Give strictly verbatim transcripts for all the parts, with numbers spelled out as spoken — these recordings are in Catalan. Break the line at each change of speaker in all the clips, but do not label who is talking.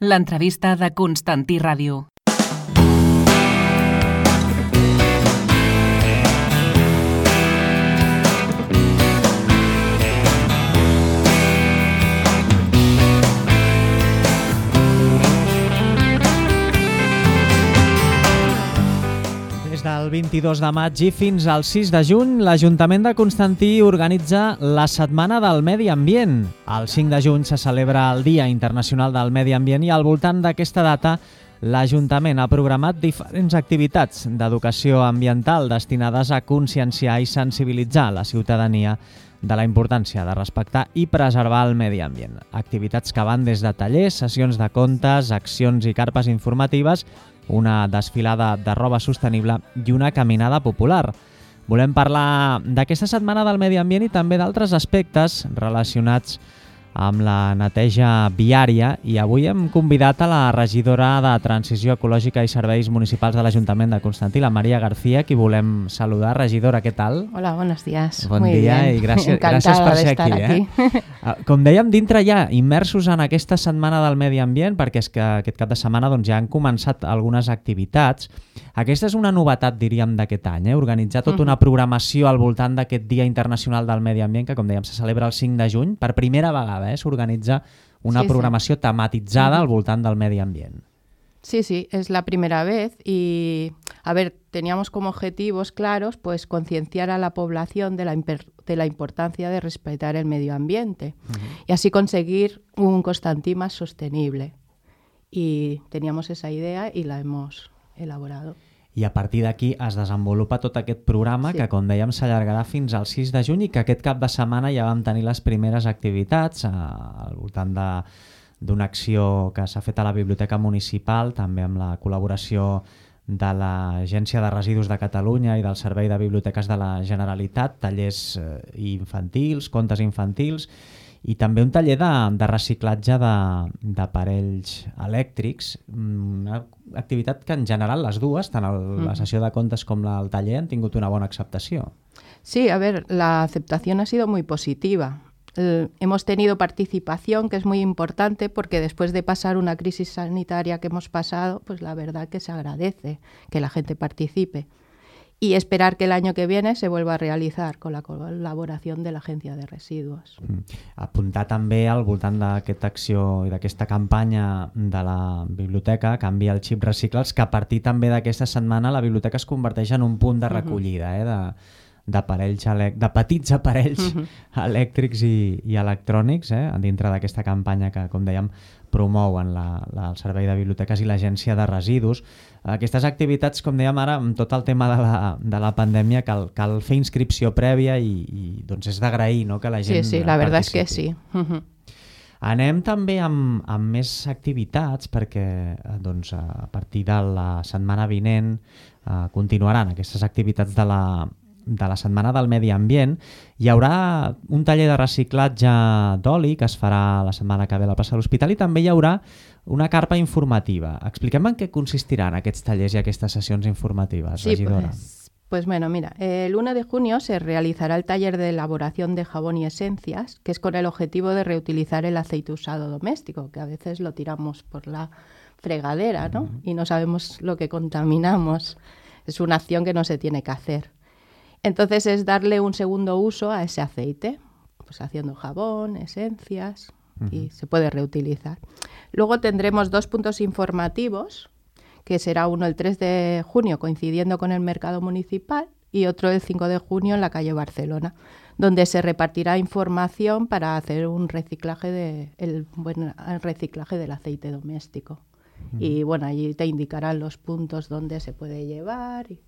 L'entrevista de Constantí Ràdio.
Des del vint-i-dos de maig i fins al sis de juny, l'Ajuntament de Constantí organitza la Setmana del Medi Ambient. El cinc de juny se celebra el Dia Internacional del Medi Ambient i al voltant d'aquesta data l'Ajuntament ha programat diferents activitats d'educació ambiental destinades a conscienciar i sensibilitzar la ciutadania de la importància de respectar i preservar el medi ambient. Activitats que van des de tallers, sessions de contes, accions i carpes informatives, una desfilada de roba sostenible i una caminada popular. Volem parlar d'aquesta Setmana del Medi Ambient i també d'altres aspectes relacionats amb la neteja viària i avui hem convidat a la regidora de Transició Ecològica i Serveis Municipals de l'Ajuntament de Constantí, la Maria García, qui volem saludar. Regidora, què tal?
Hola, buenos días.
Bon
Muy
dia
bien.
i gràcies,
Encantada
gràcies per
de
ser
estar
aquí.
aquí.
Eh? Com dèiem, dintre ja, immersos en aquesta Setmana del Medi Ambient, perquè és que aquest cap de setmana doncs, ja han començat algunes activitats. Aquesta és una novetat, diríem, d'aquest any, eh? Organitzar tota una programació al voltant d'aquest Dia Internacional del Medi Ambient, que, com dèiem, se celebra el cinc de juny. Per primera vegada eh? s'organitza una
Sí,
programació
sí.
tematitzada
Uh-huh.
al voltant del medi ambient.
Sí, sí, es la primera vez y, a ver, teníamos como objetivos claros pues concienciar a la población de la, imper- de la importancia de respetar el medio ambiente uh-huh. y así conseguir un Constantí más sostenible. Y teníamos esa idea y la hemos elaborado.
I a partir d'aquí es desenvolupa tot aquest programa sí. que, com dèiem, s'allargarà fins al sis de juny i que aquest cap de setmana ja vam tenir les primeres activitats eh, al voltant de, d'una acció que s'ha fet a la Biblioteca Municipal, també amb la col·laboració de l'Agència de Residus de Catalunya i del Servei de Biblioteques de la Generalitat, tallers eh, infantils, contes infantils, i també un taller de, de reciclatge de, d'aparells elèctrics, una activitat que en general les dues, tant el, la sessió de contes com la, el taller, han tingut una bona acceptació.
Sí, a ver, la aceptación ha sido muy positiva. Eh, hemos tenido participación, que es muy importante porque después de pasar una crisis sanitaria que hemos pasado, pues la verdad que se agradece que la gente participe. Y esperar que el año que viene se vuelva a realitzar con la col·laboració de l'Agència de Residus.
Mm. Apuntar també al voltant d'aquesta acció i d'aquesta campanya de la biblioteca Canvia el xip recicla'ls, que a partir també d'aquesta setmana la biblioteca es converteix en un punt de recollida eh, de, d'aparells elec- de petits aparells uh-huh. elèctrics i, i electrònics eh, dintre d'aquesta campanya que, com dèiem, promouen la, la, el Servei de Biblioteques i l'Agència de Residus. Aquestes activitats, com dèiem ara, amb tot el tema de la, de la pandèmia, cal, cal fer inscripció prèvia i, i doncs és d'agrair no, que la gent
Sí, sí, la verdad
participi.
es que sí. Uh-huh.
Anem també amb, amb més activitats perquè doncs, a partir de la setmana vinent eh, continuaran aquestes activitats de la, de la Setmana del Medi Ambient. Hi haurà un taller de reciclatge d'oli que es farà la setmana que ve a la plaça de l'Hospital i també hi haurà una carpa informativa. Expliquem en què consistiran aquests tallers i aquestes sessions informatives,
sí,
regidora.
Pues, pues bueno, mira, el uno de junio se realizará el taller de elaboración de jabón y esencias, que es con el objetivo de reutilizar el aceite usado doméstico, que a veces lo tiramos por la fregadera, ¿no? Uh-huh. Y no sabemos lo que contaminamos. Es una acción que no se tiene que hacer. Entonces es darle un segundo uso a ese aceite, pues haciendo jabón, esencias uh-huh. y se puede reutilizar. Luego tendremos dos puntos informativos, que será uno el tres de junio coincidiendo con el mercado municipal y otro el cinco de junio en la calle Barcelona, donde se repartirá información para hacer un reciclaje de el buen el reciclaje del aceite doméstico. Uh-huh. Y bueno, allí te indicarán los puntos donde se puede llevar, y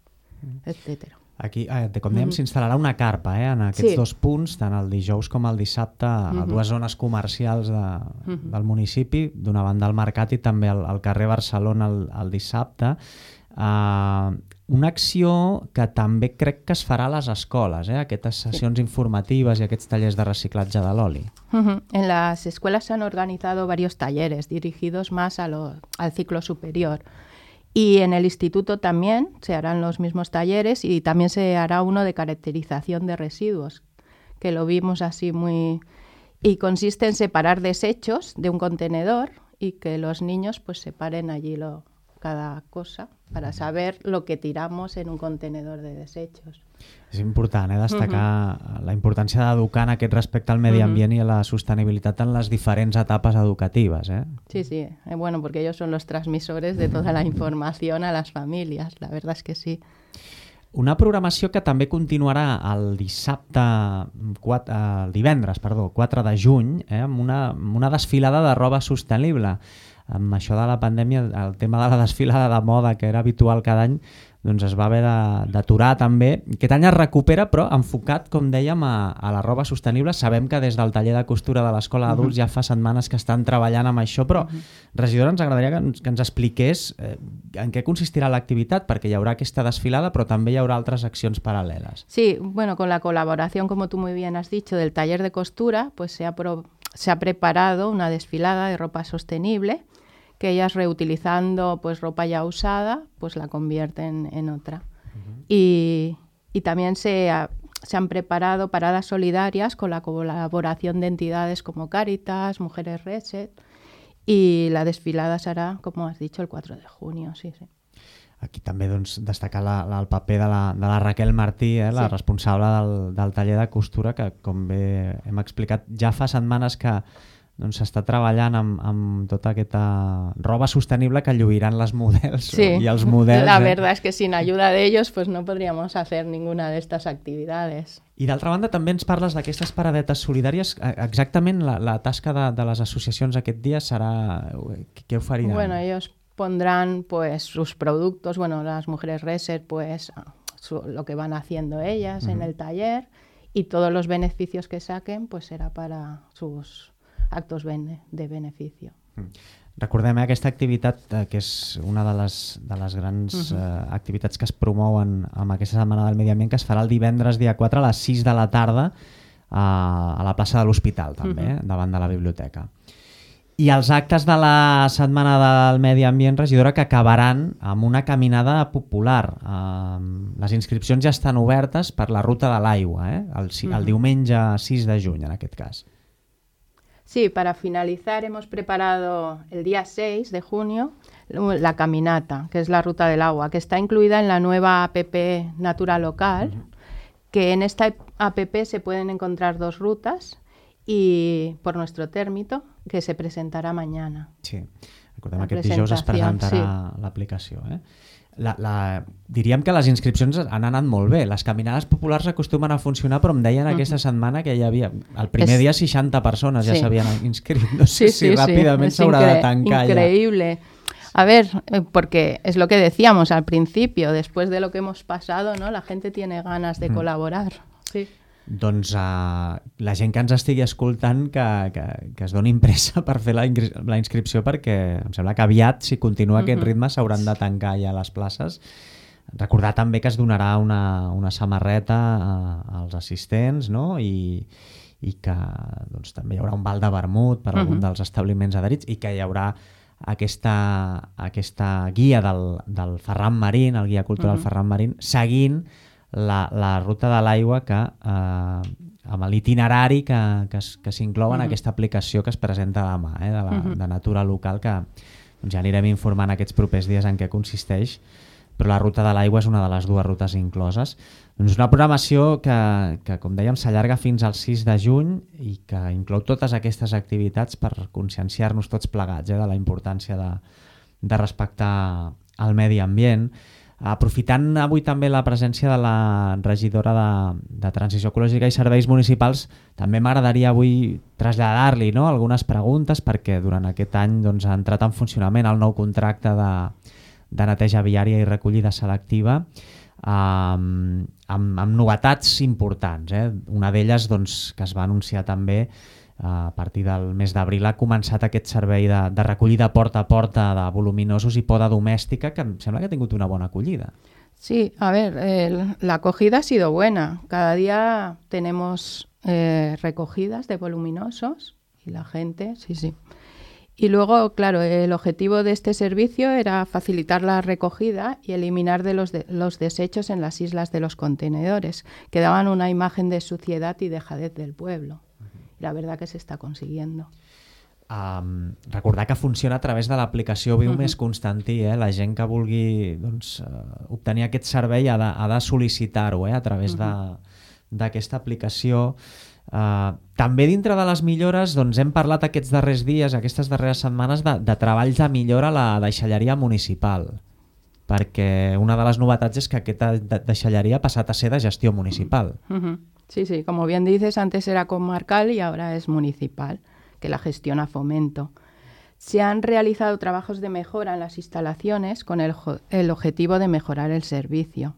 uh-huh. etcétera.
Aquí, eh, com dèiem, mm. s'instal·larà una carpa eh, en aquests sí. dos punts, tant el dijous com el dissabte, mm-hmm. a dues zones comercials de, mm-hmm. del municipi, d'una banda al mercat i també al, al carrer Barcelona el, el dissabte. Uh, una acció que també crec que es farà a les escoles, eh, aquestes sessions sí. informatives i aquests tallers de reciclatge de l'oli.
Mm-hmm. En las escuelas se han organizado varios talleres dirigidos más a lo, al ciclo superior. Y en el instituto también se harán los mismos talleres y también se hará uno de caracterización de residuos, que lo vimos así muy... Y consiste en separar desechos de un contenedor y que los niños pues separen allí lo, cada cosa para saber lo que tiramos en un contenedor de desechos.
És important eh, destacar uh-huh. la importància d'educar en aquest respecte al medi ambient uh-huh. i a la sostenibilitat en les diferents etapes educatives. ¿eh?
Sí, sí, eh, bueno, porque ellos son los transmisores de toda la información a las familias, la verdad es que sí.
Una programació que també continuarà el dissabte, quatre, el divendres, perdó, quatre de juny, eh, amb, una, amb una desfilada de roba sostenible. Amb això de la pandèmia, el tema de la desfilada de moda, que era habitual cada any, doncs es va haver d'aturar també. Aquest any es recupera, però enfocat, com dèiem, a, a la roba sostenible. Sabem que des del taller de costura de l'Escola d'Adults uh-huh. ja fa setmanes que estan treballant amb això, però, uh-huh. regidora, ens agradaria que ens, que ens expliqués eh, en què consistirà l'activitat, perquè hi haurà aquesta desfilada, però també hi haurà altres accions paral·leles.
Sí, bueno, con la colaboración, como tú muy bien has dicho, del taller de costura, pues se ha, pro, se ha preparado una desfilada de ropa sostenible, que ellas reutilizando pues ropa ya usada, pues la convierten en otra. Uh-huh. Y, y también se, ha, se han preparado paradas solidarias con la colaboración de entidades como Cáritas, Mujeres Reset, y la desfilada serà, como has dicho, el cuatro de junio. Sí, sí.
Aquí també doncs, destacar la, la, el paper de la, de la Raquel Martí, eh, la sí. responsable del, del taller de costura, que com bé hem explicat, ja fa setmanes que doncs s'està treballant amb, amb tota aquesta roba sostenible que lluiran les models
sí.
i els models.
La
eh?
verdad es que sin ayuda de ellos pues no podríamos hacer ninguna de estas actividades.
I d'altra banda també ens parles d'aquestes paradetes solidàries. Exactament la, la tasca de, de les associacions aquest dia serà... Què oferiran?
Bueno, ellos pondrán pues sus productos, bueno, las Mujeres Reset pues su, lo que van haciendo ellas uh-huh. en el taller y todos los beneficios que saquen pues será para sus actos de beneficio.
Recordem eh, aquesta activitat eh, que és una de les, de les grans uh-huh. eh, activitats que es promouen amb aquesta Setmana del Medi Ambient, que es farà el divendres dia quatre a les sis de la tarda eh, a la plaça de l'Hospital també, uh-huh. eh, davant de la biblioteca. I els actes de la Setmana del Medi Ambient, regidora, que acabaran amb una caminada popular. Eh, les inscripcions ja estan obertes per la Ruta de l'Aigua, eh, el, el uh-huh. diumenge sis de juny en aquest cas.
Sí, para finalizar hemos preparado el día seis de junio la caminata, que es la Ruta del Agua, que está incluida en la nueva app Natura Local, uh-huh. que en esta app se pueden encontrar dos rutas y por nuestro térmito, que se presentará mañana.
Sí, recordem que aquest dijous es presentarà sí. l'aplicació. Eh? La, la, diríem que les inscripcions han anat molt bé. Les caminades populars acostumen a funcionar, però em deien aquesta uh-huh. setmana que hi havia, el primer es... dia seixanta persones ja sí. s'havien inscrit. No sé sí, si sí, ràpidament s'haurà sí. de tancar
increíble. Ja. A ver, porque es lo que decíamos al principio, después de lo que hemos pasado, ¿no? La gente tiene ganas de uh-huh. colaborar. Sí.
Doncs uh, la gent que ens estigui escoltant que, que, que es doni pressa per fer la, la inscripció, perquè em sembla que aviat, si continua uh-huh. aquest ritme, s'hauran de tancar ja les places. Recordar també que es donarà una, una samarreta a, als assistents, no? I, i que doncs, també hi haurà un val de vermut per uh-huh. algun dels establiments adherits i que hi haurà aquesta, aquesta guia del, del Ferran Marín, el guia cultural uh-huh. Ferran Marín, seguint La, la Ruta de l'Aigua, que eh, amb l'itinerari que, que, que s'inclou en uh-huh. aquesta aplicació que es presenta demà, eh, de, la, uh-huh. de Natura Local, que doncs, ja anirem informant aquests propers dies en què consisteix, però la Ruta de l'Aigua és una de les dues rutes incloses. Doncs una programació que, que com dèiem, s'allarga fins al sis de juny i que inclou totes aquestes activitats per conscienciar-nos tots plegats eh, de la importància de, de respectar el medi ambient. Aprofitant avui també la presència de la regidora de, de Transició Ecològica i Serveis Municipals, també m'agradaria avui traslladar-li no, algunes preguntes, perquè durant aquest any doncs, ha entrat en funcionament el nou contracte de, de neteja viària i recollida selectiva eh, amb, amb novetats importants. Eh? Una d'elles doncs, que es va anunciar també a partir del mes d'abril ha començat aquest servei de, de recollida porta a porta de voluminosos i poda domèstica, que em sembla que ha tingut una bona acollida.
Sí, a ver, eh, la acogida ha sido buena. Cada día tenemos eh, recogidas de voluminosos y la gente, sí, sí. Y luego, claro, el objetivo de este servicio era facilitar la recogida y eliminar de los, de, los desechos en las islas de los contenedores, que daban una imagen de suciedad y dejadez del pueblo. La verdad que se está consiguiendo.
Um, recordar que funciona a través de l'aplicació Viu Més Constantí, eh? La gent que vulgui doncs, uh, obtenir aquest servei ha de, ha de sol·licitar-ho eh? a través d'aquesta aplicació. Uh, també dintre de les millores doncs, hem parlat aquests darrers dies, aquestes darreres setmanes de, de treballs de millora a la deixalleria municipal, perquè una de les novetats és que aquesta deixalleria ha passat a ser de gestió municipal.
Uh-huh. Sí, sí, como bien dices, antes era comarcal y ahora es municipal, que la gestiona Fomento. Se han realizado trabajos de mejora en las instalaciones con el, el objetivo de mejorar el servicio.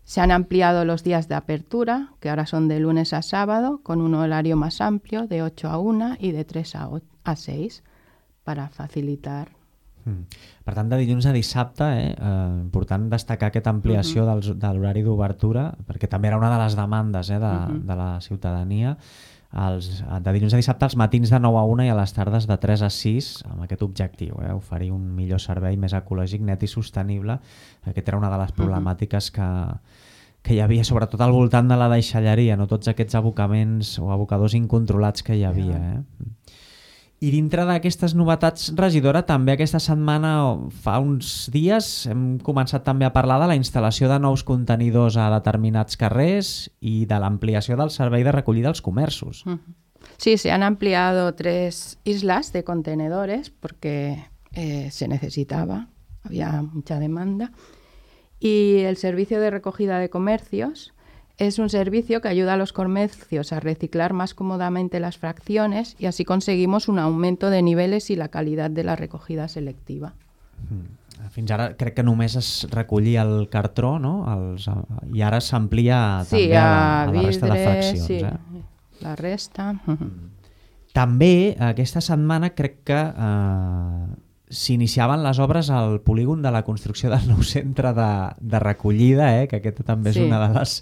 Se han ampliado los días de apertura, que ahora son de lunes a sábado, con un horario más amplio, de ocho a una y de tres a seis, para facilitar.
Mm. Per tant, de dilluns a dissabte, eh, eh, important destacar aquesta ampliació uh-huh. dels, de l'horari d'obertura, perquè també era una de les demandes eh, de, uh-huh. de la ciutadania. Els, de dilluns a dissabte, als matins de nou a una i a les tardes de tres a sis, amb aquest objectiu, eh, oferir un millor servei més ecològic, net i sostenible. Aquesta era una de les problemàtiques que, que hi havia, sobretot al voltant de la deixalleria, no tots aquests abocaments o abocadors incontrolats que hi havia. Eh? I dintre d'aquestes novetats, regidora, també aquesta setmana, fa uns dies, hem començat també a parlar de la instal·lació de nous contenidors a determinats carrers i de l'ampliació del servei de recollida als comerços.
Sí, se han ampliado tres islas de contenedores porque eh, se necesitaba, había mucha demanda. Y el servicio de recogida de comercios es un servicio que ayuda a los comercios a reciclar más cómodamente las fracciones y así conseguimos un aumento de niveles y la calidad de la recogida selectiva.
Mm. Fins ara crec que només es recollia el cartró, no? Els, i ara s'amplia
sí,
també a la, a la
vidre,
resta de fraccions.
Sí,
eh?
la resta.
També aquesta setmana crec que eh, s'iniciaven les obres al polígon de la construcció del nou centre de, de recollida, eh? Que aquesta també és sí. una de les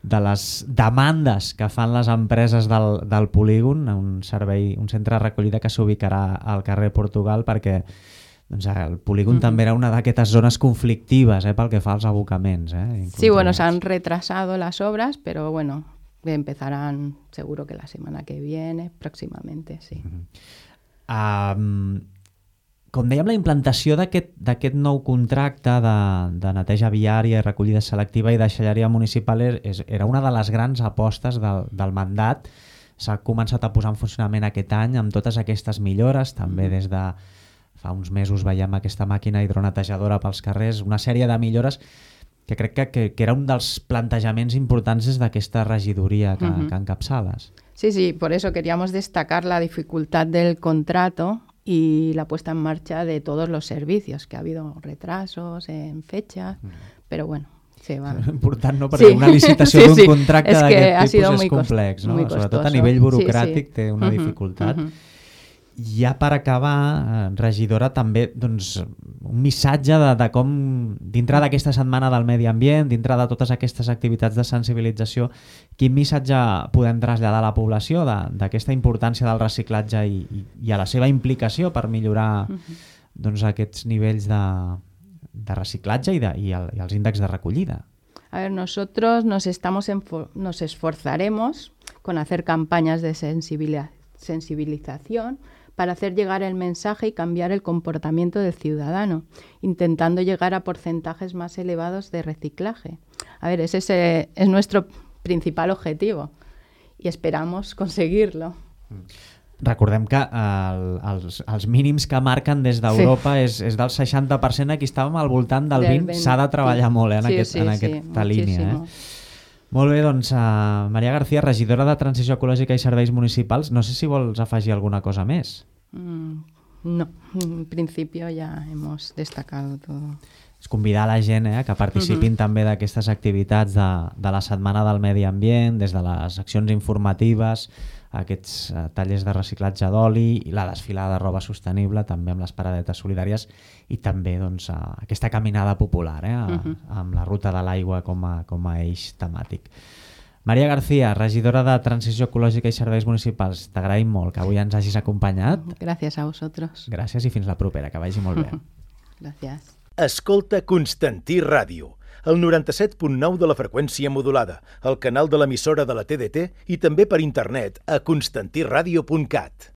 de les demandes que fan les empreses del, del polígon, un servei, un centre de recollida que s'ubicarà al carrer Portugal, perquè doncs, el polígon mm-hmm. també era una d'aquestes zones conflictives eh, pel que fa als abocaments. Eh,
sí, bueno, se han retrasado las obras, pero bueno, empezarán seguro que la semana que viene, próximamente, sí.
Mm-hmm. Um, Com dèiem, la implantació d'aquest nou contracte de, de neteja viària, recollida selectiva i deixalleria municipal és, era una de les grans apostes del, del mandat. S'ha començat a posar en funcionament aquest any amb totes aquestes millores, també des de fa uns mesos veiem aquesta màquina hidronetejadora pels carrers, una sèrie de millores que crec que, que, que era un dels plantejaments importants des d'aquesta regidoria que, uh-huh. que encapçales.
Sí, sí, por eso queríamos destacar la dificultad del contrato y la puesta en marcha de todos los servicios, que ha habido retrasos en fechas, mm. pero bueno, se va.
Important, no? Perquè sí. una licitació sí, d'un sí. contracte d'aquest tipus és complex, no? Sobretot a nivell burocràtic sí, sí. té una uh-huh, dificultat. Uh-huh. Ja per acabar, regidora, també doncs, un missatge de, de com, dintre d'aquesta setmana del medi ambient, dintre de totes aquestes activitats de sensibilització, quin missatge podem traslladar a la població d'aquesta importància del reciclatge i, i, i a la seva implicació per millorar uh-huh. doncs, aquests nivells de, de reciclatge i, de, i, el, i els índexs de recollida?
A ver, nosotros nos, estamos enfo- nos esforzaremos con hacer campañas de sensibilización sensibilización para hacer llegar el mensaje y cambiar el comportamiento del ciudadano, intentando llegar a porcentajes más elevados de reciclaje. A ver, ese es, es nuestro principal objetivo y esperamos conseguirlo.
Recordem que el, els, els mínims que marquen des d'Europa sí. és, és del seixanta per cent, aquí estàvem al voltant del, del vint, s'ha de treballar sí. molt eh, en, sí, aquest, sí, en aquesta sí, línia. Eh? Molt bé, doncs, uh, Maria García, regidora de Transició Ecològica i Serveis Municipals, no sé si vols afegir alguna cosa més.
Mm, no, en principi ja hemos destacado todo.
És convidar a la gent eh, que participin uh-huh. també d'aquestes activitats de, de la Setmana del Medi Ambient, des de les accions informatives, aquests uh, tallers de reciclatge d'oli i la desfilada de roba sostenible, també amb les paradetes solidàries i també doncs, uh, aquesta caminada popular eh, a, uh-huh. amb la ruta de l'aigua com a, com a eix temàtic. Maria García, regidora de Transició Ecològica i Serveis Municipals, t'agraïm molt que avui ens hagis acompanyat.
Gràcies a vosaltres.
Gràcies i fins la propera, que vagi molt bé.
Gràcies.
Escolta Constantí Ràdio, el noranta-set punt nou de la freqüència modulada, el canal de l'emissora de la T D T i també per internet a constantí ràdio punt cat.